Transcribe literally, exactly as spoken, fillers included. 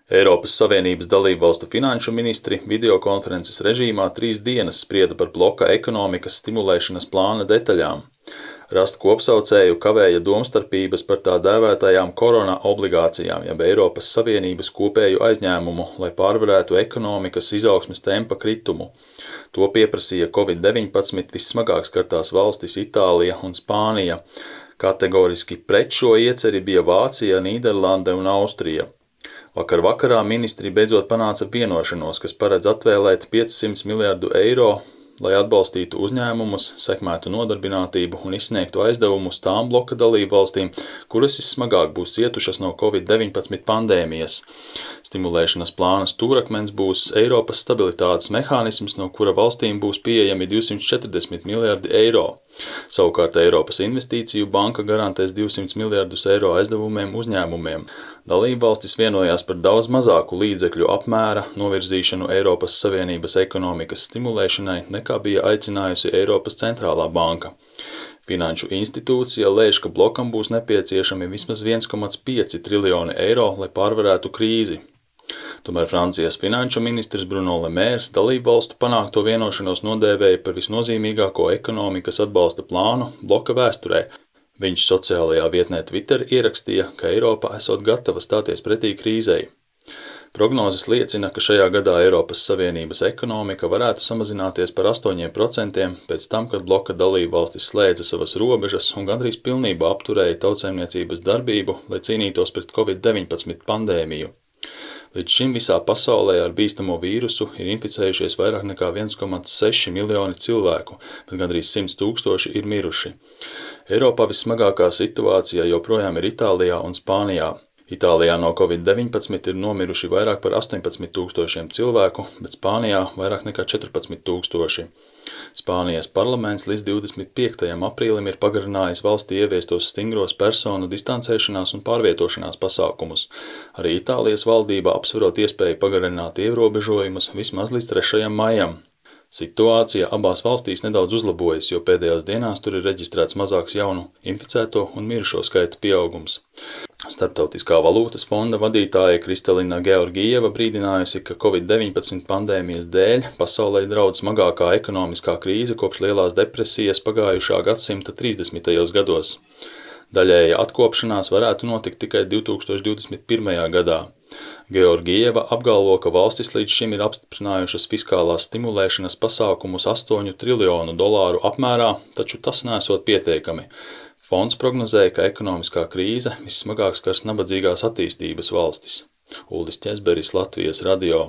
Eiropas Savienības dalībvalstu finanšu ministri videokonferences režīmā trīs dienas sprieda par bloka ekonomikas stimulēšanas plāna detaļām. Rast kopsaucēju kavēja domstarpības par tā dēvētajām korona obligācijām, jeb Eiropas Savienības kopēju aizņēmumu, lai pārvarētu ekonomikas izaugsmes tempa kritumu. To pieprasīja covid deviņpadsmit vissmagāk skartās valstis Itālija un Spānija. Kategoriski pret šo ieceri bija Vācija, Nīderlande un Austrija. Vakar vakarā ministri beidzot panāca vienošanos, kas paredz atvēlēt piecsimt miljardu eiro, lai atbalstītu uzņēmumus, sekmētu nodarbinātību un izsniegtu aizdevumus tām bloka dalību valstīm, kuras vissmagāk būs cietušas no covid deviņpadsmit pandēmijas. Stimulēšanas plāna stūrakmens būs Eiropas stabilitātes mehānisms, no kura valstīm būs pieejami divsimt četrdesmit miljardi eiro. Savukārt Eiropas investīciju banka garantēs divsimt miljardus eiro aizdevumiem uzņēmumiem. Dalībvalstis vienojās par daudz mazāku līdzekļu apmēra novirzīšanu Eiropas Savienības ekonomikas stimulēšanai, nekā bija aicinājusi Eiropas centrālā banka. Finanšu institūcija lēš, ka blokam būs nepieciešami vismaz viens komats pieci triljoni eiro, lai pārvarētu krīzi. Tomēr Francijas finanšu ministrs Bruno Le Maire dalībvalstu panākto vienošanos nodēvēja par visnozīmīgāko ekonomikas atbalsta plānu bloka vēsturē. Viņš sociālajā vietnē Twitter ierakstīja, ka Eiropa esot gatava stāties pretī krīzei. Prognozes liecina, ka šajā gadā Eiropas Savienības ekonomika varētu samazināties par astoņiem procentiem pēc tam, kad bloka dalībvalstis slēdza savas robežas un gandrīz pilnībā apturēja tautsaimniecības darbību, lai cīnītos pret covid deviņpadsmit pandēmiju. Līdz šim visā pasaulē ar bīstamo vīrusu ir inficējušies vairāk nekā viens komats seši miljoni cilvēku, bet gandrīz simts tūkstoši ir miruši. Eiropā vissmagākā situācija joprojām ir Itālijā un Spānijā. Itālijā no covid deviņpadsmit ir nomiruši vairāk par astoņpadsmit tūkstošiem cilvēku, bet Spānijā vairāk nekā četrpadsmit tūkstoši. Spānijas parlaments līdz divdesmit piektajam aprīlim ir pagarinājis valstī ieviestos stingros personu distancēšanās un pārvietošanās pasākumus. Arī Itālijas valdība apsverot iespēju pagarināt ierobežojumus vismaz līdz trešajam maijam. Situācija abās valstīs nedaudz uzlabojas, jo pēdējās dienās tur ir reģistrēts mazāks jaunu inficēto un mirušo skaita pieaugums. Starptautiskā valūtas fonda vadītāja Kristalina Georgieva brīdinājusi, ka covid deviņpadsmit pandēmijas dēļ pasaulē draudz smagākā ekonomiskā krīze kopš lielās depresijas pagājušā gadsimta trīsdesmitajos gados. Daļēja atkopšanās varētu notikt tikai divi tūkstoši divdesmit pirmajā gadā. Georgieva apgalvo, ka valstis līdz šim ir apstiprinājušas fiskālās stimulēšanas pasākumus astoņu triljonu dolāru apmērā, taču tas nesot pietiekami. Fonds prognozēja, ka ekonomiskā krīze vissmagāk skars nabadzīgās attīstības valstis. Uldis Ķezberis, Latvijas radio.